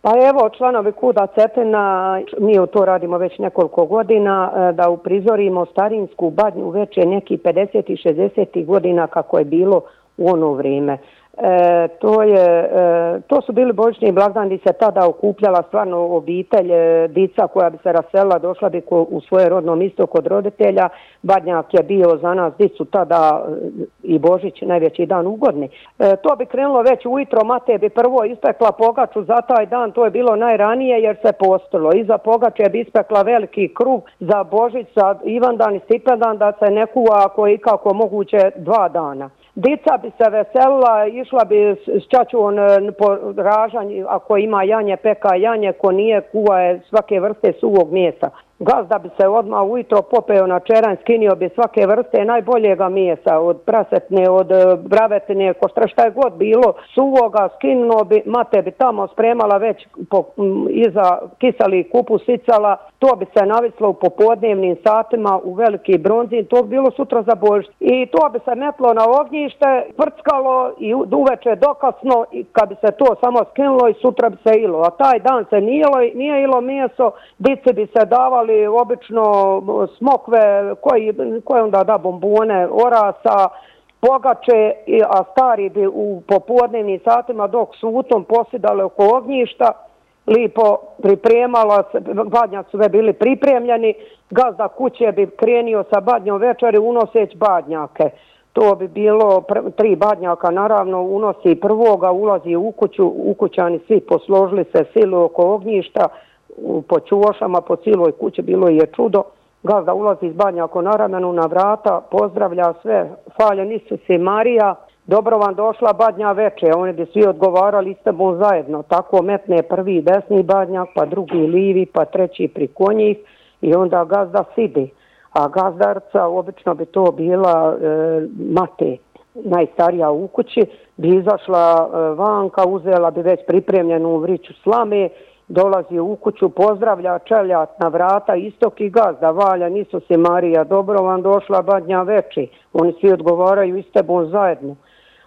Pa evo, članovi KUD-a Cetina, mi to radimo već nekoliko godina, da uprizorimo starinsku badnju Veče neki 50. i 60. godina kako je bilo u ono vrijeme. To su bili božićni blagdani, se tada okupljala stvarno obitelj, dica koja bi se raselila, došla bi u svoje rodno mjesto kod roditelja. Badnjak je bio za nas dicu tada i Božić najveći dan u godini. To bi krenulo već ujutro, mate bi prvo ispekla pogaču za taj dan, to je bilo najranije jer se postilo. Iza pogače bi ispekla veliki kruh za Božić, za Ivandan i Stipendan da se ne kuva ako je ikako moguće 2 dana. Dica bi se veselila, išla bi s čačom po ražanj, ako ima janje, peka janje, ko nije, kuva je svake vrste suvog mesa. Gazda bi se odmah ujutro popeo na čeranj, skinio bi svake vrste najboljega mesa, od prasetne, od bravetine, šta je god bilo, suvoga, skinuo bi, mate bi tamo spremala već iza kiseli kupus sicala, to bi se navislo u popodnevnim satima u veliki bronzin, to bi bilo sutra za Božić. I to bi se metlo na ognjište, prckalo i uveče dokasno i kad bi se to samo skinulo i sutra bi se ilo. A taj dan se nije ilo meso, dici bi se davali obično smokve koje onda da bombone, orasa, pogače, a stari bi u popodnevnim satima dok su u tom posidali oko ognjišta, lipo pripremala se, badnjaci su bili pripremljeni, gazda kuće bi krenio sa badnjom večeri unoseć badnjake. To bi bilo 3 badnjaka, naravno unosi prvoga, ulazi u kuću, ukućani svi posložili se silu oko ognjišta, po čuošama, po cijeloj kući, bilo je čudo. Gazda ulazi iz badnjaka na ramenu, na vrata, pozdravlja sve, hvaljen Isus i Marija, dobro vam došla badnja veče, oni bi svi odgovarali s tebom zajedno, tako metne prvi desni badnjak, pa drugi livi, pa treći priko njih i onda gazda sidi. A gazdarca, obično bi to bila mate, najstarija u kući, bi izašla vanka, uzela bi već pripremljenu vriću slame, dolazi u kuću, pozdravlja čeljat na vrata, istok i gazda, valjan Isus i Marija, dobro vam došla badnja veči. Oni svi odgovaraju s tebom zajedno.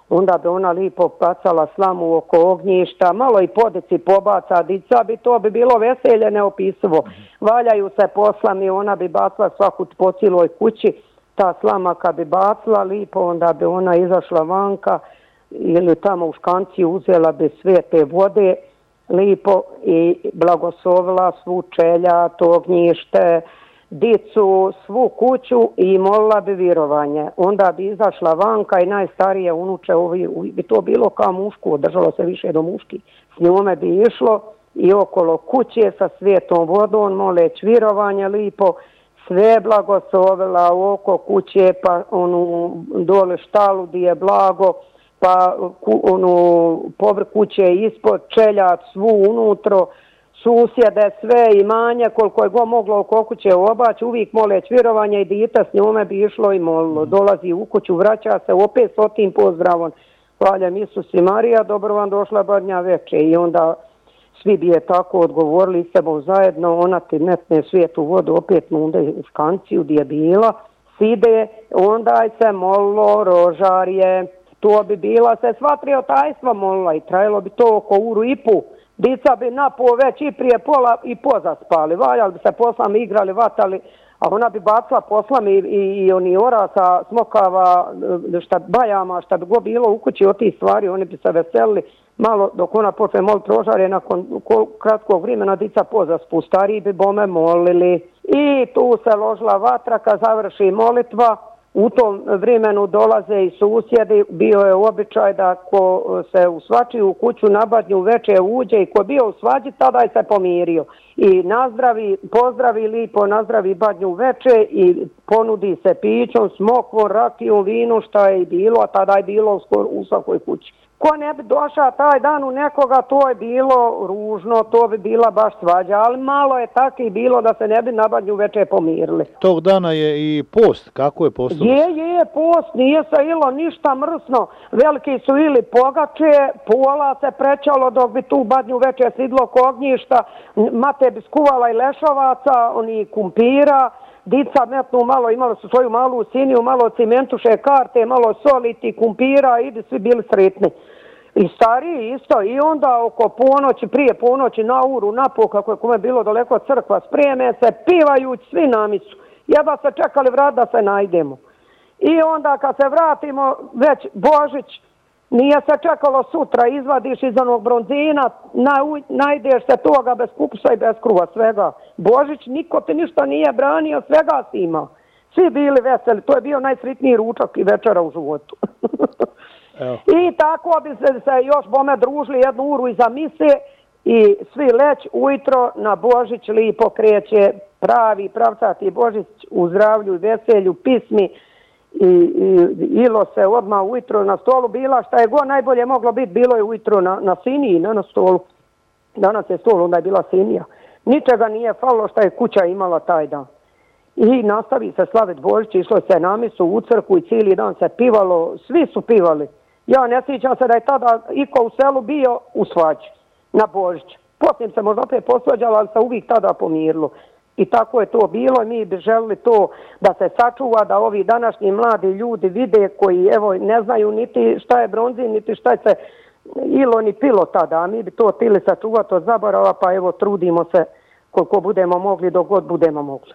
Onda bi ona lipo bacala slamu oko ognjišta, malo i podici pobaca, dica bi to bi bilo veselje neopisivo. Valjaju se po slami, ona bi bacila svaku po cijeloj kući, ta slama kad bi bacila lipo, onda bi ona izašla vanka ili tamo u škanciju uzela bi svete vode, lipo i blagoslovila svu čeljat, ognjište, dicu, svu kuću i molila bi virovanje. Onda bi izašla vanka i najstarije unuče, bi to bilo kao muško, držalo se više do muški. S njome bi išlo i okolo kuće sa svetom vodom, moleć virovanje lipo, sve blagoslovila oko kuće, pa onu dole štalu gdje je blago, pa povrh kuće ispod, čeljat svu unutro, susjede, sve imanje, koliko je go moglo oko kuće obaći, uvijek moleć vjerovanje i dita s njome bi išlo i molilo. Dolazi u kuću, vraća se opet s otim pozdravom. Hvaljen Isus i Marija, dobro vam došla badnja veče. I onda svi bi je tako odgovorili s tebom zajedno, ona ti metne svijetu vodu, opet munde u škanciju gdje je bila, side, onda se molilo rožarje. To bi bila se sva triotajstva molila i trajalo bi to oko uru i pu. Dica bi napol već i prije pola i pozaspali, valjali bi se poslami, igrali, vatali, a ona bi bacila poslami i oni orasa, smokava, bajama, šta bi go bilo u kući od tih stvari, oni bi se veselili malo dok ona počne moliti rožare, nakon kratkog vremena dica pozaspu, stariji bi bome molili i tu se ložila vatra kad završi molitva. U tom vremenu dolaze i susjedi, bio je običaj da ko se u svačiju kuću na badnju veče uđe i ko bio u svađi, tada je se pomirio. I pozdravi lipo, nazdravi badnju veče i ponudi se pićom, smokvom, rakijom, vinu, šta je i bilo, a tada je bilo u svakoj kući. Ko ne bi došao taj dan u nekoga, to je bilo ružno, to bi bila baš svađa, ali malo je tako i bilo da se ne bi na badnju veče pomirili. Tog dana je i post, kako je post? Je post, nije se ilo ništa mrsno, veliki su ili pogače, pola se prečalo dok bi tu badnju veče sidlo kognjišta, mate bi skuvala i lešovaca, oni kumpira, dica metnu malo, imali su svoju malu siniju, malo cimentuše karte, malo soliti, kumpira i svi bili sretni. I stariji isto, i onda oko ponoći, prije ponoći, na uru, na pol, kako je kome bilo daleko od crkva, spreme se, pivajući svi na misu. Jedva se čekali vrat da se najdemo. I onda kad se vratimo, već Božić, nije se čekalo sutra, izvadiš iz onog bronzina, najdeš se toga bez kupusa i bez kruha, svega. Božić, niko ti ništa nije branio, svega si imao. Svi bili veseli, to je bio najsritniji ručak i večera u životu. I tako bi se još bome družili jednu uru iza mise i svi leć ujutro na Božić lipo kreće pravi pravcati Božić u zdravlju i veselju, pismi i ilo se odmah ujutro na stolu bila, šta je god najbolje moglo biti, bilo je ujutro na siniji, ne na stolu. Danas je stol, onda je bila sinija. Ničega nije falilo šta je kuća imala taj dan. I nastavi se slaviti Božić, išlo se na misu u crkvu i cijeli dan se pivalo, svi su pivali. Ja ne sjećam se da je tada iko u selu bio u svađi na Božić. Poslije se možda opet posvađalo, ali se uvijek tada pomirilo. I tako je to bilo i mi bi želili to da se sačuva, da ovi današnji mladi ljudi vide koji evo ne znaju niti šta je bronzin, niti šta je se ilo ni pilo tada. A mi bi to htjeli sačuvati od zaborava, pa evo trudimo se koliko budemo mogli, dok god budemo mogli.